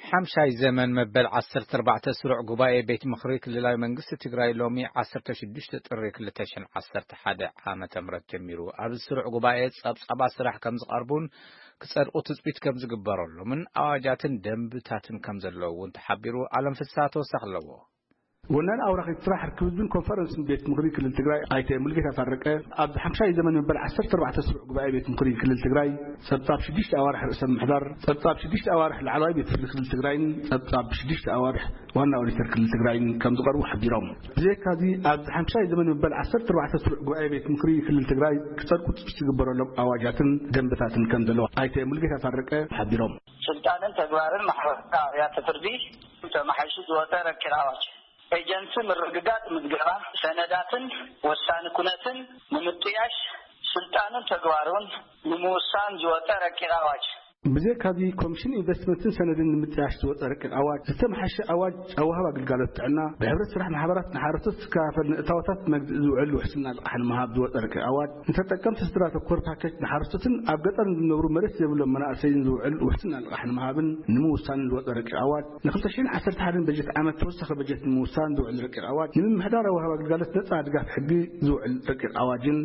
ሓምሻይ ዘመን መበል ዓሰርተ ኣርባዕተ ስሩዕ ጉባኤ ቤት ምኽሪ ክልላዊ መንግስቲ ትግራይ ሎሚ ዓሰርተ ሽዱሽተ ጥሪ ክልተ ሽሕን ዓሰርተ ሓደ ዓመተ ምህረት ጀሚሩ። ኣብዚ ስሩዕ ጉባኤ ጸብጻባት ስራሕ ከም ዝቐርቡን ክጸድቑ ትጽቢት ከም ዝግበረሎምን ኣዋጃትን ደንብታትን ከም ዘለዉ እውን ተሓቢሩ። ኣለም ፍስሃ ተወሳኺ ኣለዎ። ወናን ኣውራኺት ስራሕ ርክብ ህዝብን ኮንፈረንስን ቤት ምኽሪ ክልል ትግራይ ኣይተ ሙልጌታ ታረቀ፣ ኣብዚ ሓምሻይ ዘመን መበል ዓሰርተ ኣርባዕተ ስሩዕ ጉባኤ ቤት ምኽሪ ክልል ትግራይ ጸብጻብ ሽዱሽተ ኣዋርሕ ርእሰ ምምሕዳር፣ ጸብጻብ ሽዱሽተ ኣዋርሕ ላዕለዋይ ቤት ፍርዲ ክልል ትግራይን ጸብጻብ ሽዱሽተ ኣዋርሕ ዋና ኦዲተር ክልል ትግራይን ከም ዝቐርቡ ሓቢሮም። ብዘይካዚ ኣብዚ ሓምሻይ ዘመን መበል ዓሰርተ ኣርባዕተ ስሩዕ ጉባኤ ቤት ምኽሪ ክልል ትግራይ ክጸድቁ ትጽቢት ዝግበረሎም ኣዋጃትን ደንብታትን ከም ዘለዉ ኣይተ ሙልጌታ ታረቀ ሓቢሮም። ስልጣንን ተግባርን ማሕበራዊ ኣብያተ ፍርዲ ተመሓይሹ ዝወፀ ረቂቕ ኣዋጅ፣ ኤጀንሲ ምርግጋፅ ምዝገባ ሰነዳትን ወሳኒ ኩነትን ንምጥያሽ ስልጣኑን ተግባሩን ንምውሳን ዝወፀ ረቂቕ ኣዋጅ። ብዘይካዚ ኮሚሽን ኢንቨስትመንትን ሰነድን ንምጥያሽ ዝወፀ ረቂቕ ኣዋጅ፣ ዝተመሓሸ ኣዋጅ ኣወሃባ ግልጋሎት ጥዕና፣ ብሕብረት ስራሕ ማሕበራት ንሓረስቶት ዝከፋፈል ንእታወታት መግዝኢ ዝውዕል ውሕስና ልቓሕ ንምሃብ ዝወፀ ረቂቕ ኣዋጅ፣ ንተጠቀምቲ ስድራ ተኮር ፓኬጅ ንሓረስቶትን ኣብ ገጠር ንዝነብሩ መሬት ዘይብሎም መናእሰይን ዝውዕል ውሕስና ልቓሕ ንምሃብን ንምውሳንን ዝወፀ ረቂቕ ኣዋጅ፣ ንክልተ ሽሕን ዓሰርተ ሓደን በጀት ዓመት ተወሳኺ በጀት ንምውሳን ዝውዕል ረቂቕ ኣዋጅ፣ ንምምሕዳር ኣወሃባ ግልጋሎት ነፃ ድጋፍ ሕጊ ዝውዕል ረቂቕ ኣዋጅን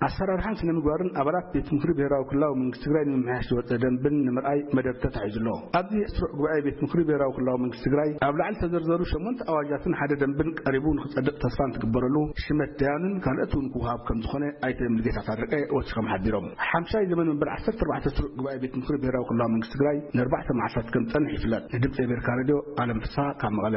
ኣሰራርሓን ስነ ምግባርን ኣባላት ቤት ምኽሪ ብሄራዊ ክልላዊ መንግስቲ ትግራይ ንምምሕያሽ ዝወፀ ደንብን ንምርኣይ መደብ ተታሒዙ ኣሎ። ኣብዚ ስሩዕ ጉባኤ ቤት ምኽሪ ብሄራዊ ክልላዊ መንግስቲ ትግራይ ኣብ ላዕሊ ዝተዘርዘሩ ሸሞንተ ኣዋጃትን ሓደ ደንብን ቀሪቡ ንክፀድቕ ተስፋ እንትግበረሉ፣ ሽመት ደያኑን ካልኦት እውን ክወሃብ ከም ዝኾነ ኣይተ ሙልጌታ ታረቀ ወሲኾም ሓቢሮም። ሓምሻይ ዘመን መንበሪ ዓሰርተ ኣርባዕተ ስሩዕ ጉባኤ ቤት ምኽሪ ብሄራዊ ክልላዊ መንግስቲ ትግራይ ንኣርባዕተ መዓልታት ከም ዝፀንሕ ይፍለጥ። ንድምፂ ኣሜሪካ ሬድዮ ኣለም ፍስሃ ካብ መቐለ።